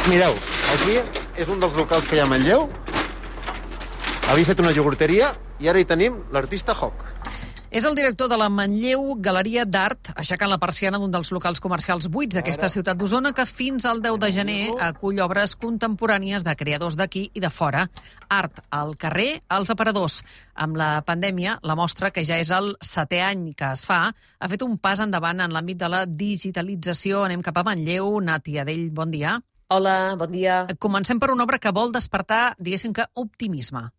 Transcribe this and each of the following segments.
Mireu, aquí és un dels locals que hi ha a Manlleu. Havia estat una iogurteria i ara hi tenim l'artista Hoc. És el director de la Manlleu Galeria d'Art, aixecant la persiana d'un dels locals comercials buits d'aquesta ciutat d'Osona, que fins al 10 de gener acull obres contemporànies de creadors d'aquí i de fora. Art al carrer, als aparadors. Amb la pandèmia, la mostra, que ja és el 7è any que es fa, ha fet un pas endavant en l'àmbit de la digitalització. Anem cap a Manlleu. Nati Adell, bon dia. Hola, bon dia. Comencem per una obra que vol despertar, diguéssim que, optimisme.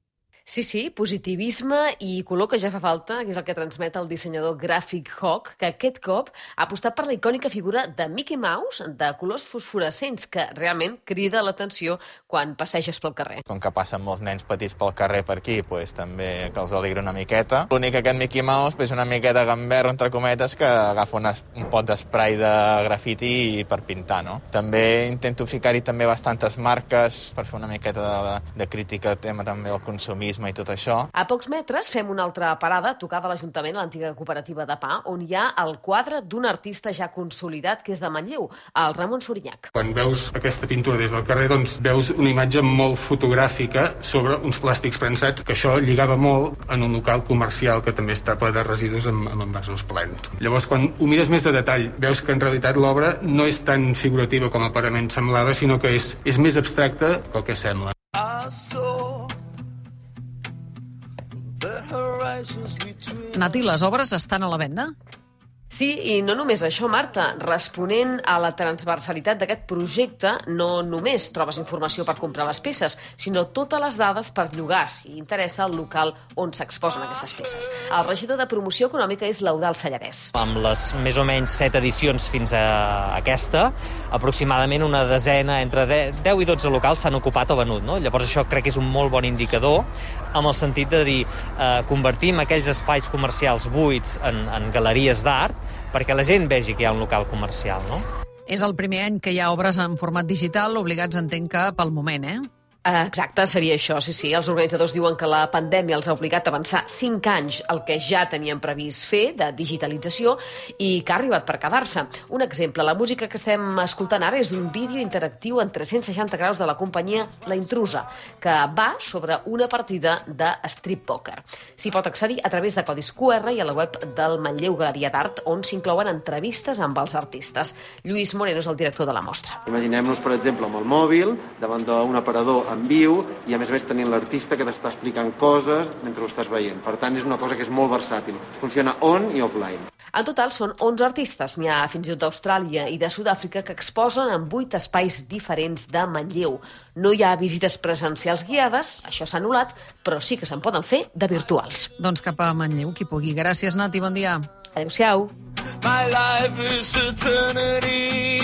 Sí, positivisme i color, que ja fa falta, que és el que transmet el dissenyador gràfic Hoc, que aquest cop ha apostat per la icònica figura de Mickey Mouse de colors fosforescents, que realment crida l'atenció quan passeges pel carrer. Com que passen molts nens petits pel carrer per aquí, també que els alegra una miqueta. L'únic que aquest Mickey Mouse és una miqueta gamberro, entre cometes, que agafa un pot d'esprai de grafiti per pintar, no? També intento ficar-hi també bastantes marques per fer una miqueta de crítica al tema també del consumisme i tot això. A pocs metres fem una altra parada, tocada a l'Ajuntament, a l'antiga cooperativa de pa, on hi ha el quadre d'un artista ja consolidat, que és de Manlleu, el Ramon Sorinyac. Quan veus aquesta pintura des del carrer, doncs veus una imatge molt fotogràfica sobre uns plàstics prensats, que això lligava molt en un local comercial que també està ple de residus amb envasos plens. Llavors, quan ho mires més de detall, veus que en realitat l'obra no és tan figurativa com aparentment semblava, sinó que és més abstracta que el que sembla. Nati, les obres estan a la venda? Sí, i no només això, Marta. Responent a la transversalitat d'aquest projecte, no només trobes informació per comprar les peces, sinó totes les dades per llogar, si interessa el local on s'exposen aquestes peces. El regidor de Promoció Econòmica és l'Eudald Sallarès. Amb les més o menys 7 edicions fins a aquesta, aproximadament una desena, entre 10 i 12 locals s'han ocupat o venut, no? Llavors això crec que és un molt bon indicador, amb el sentit de dir, convertim aquells espais comercials buits en galeries d'art, perquè la gent vegi que hi ha un local comercial, no? És el primer any que hi ha obres en format digital, obligats, entenc que pel moment, Exacte, seria això, sí. Els organitzadors diuen que la pandèmia els ha obligat a avançar 5 anys el que ja tenien previst fer de digitalització i que ha arribat per quedar-se. Un exemple, la música que estem escoltant ara és d'un vídeo interactiu en 360 graus de la companyia La Intrusa, que va sobre una partida de strip poker. S'hi pot accedir a través de codis QR i a la web del Manlleu Galeria d'Art, on s'inclouen entrevistes amb els artistes. Lluís Moreno és el director de la mostra. Imaginem-nos, per exemple, amb el mòbil, davant d'un aparador en viu, i a més tenint l'artista que t'està explicant coses mentre ho estàs veient. Per tant, és una cosa que és molt versàtil. Funciona on i offline. En total són 11 artistes. N'hi ha fins i tot d'Austràlia i de Sud-àfrica que exposen en 8 espais diferents de Manlleu. No hi ha visites presencials guiades, això s'ha anul·lat, però sí que se'n poden fer de virtuals. Doncs cap a Manlleu, qui pugui. Gràcies, Nati, bon dia. Adéu-siau. My life is eternity.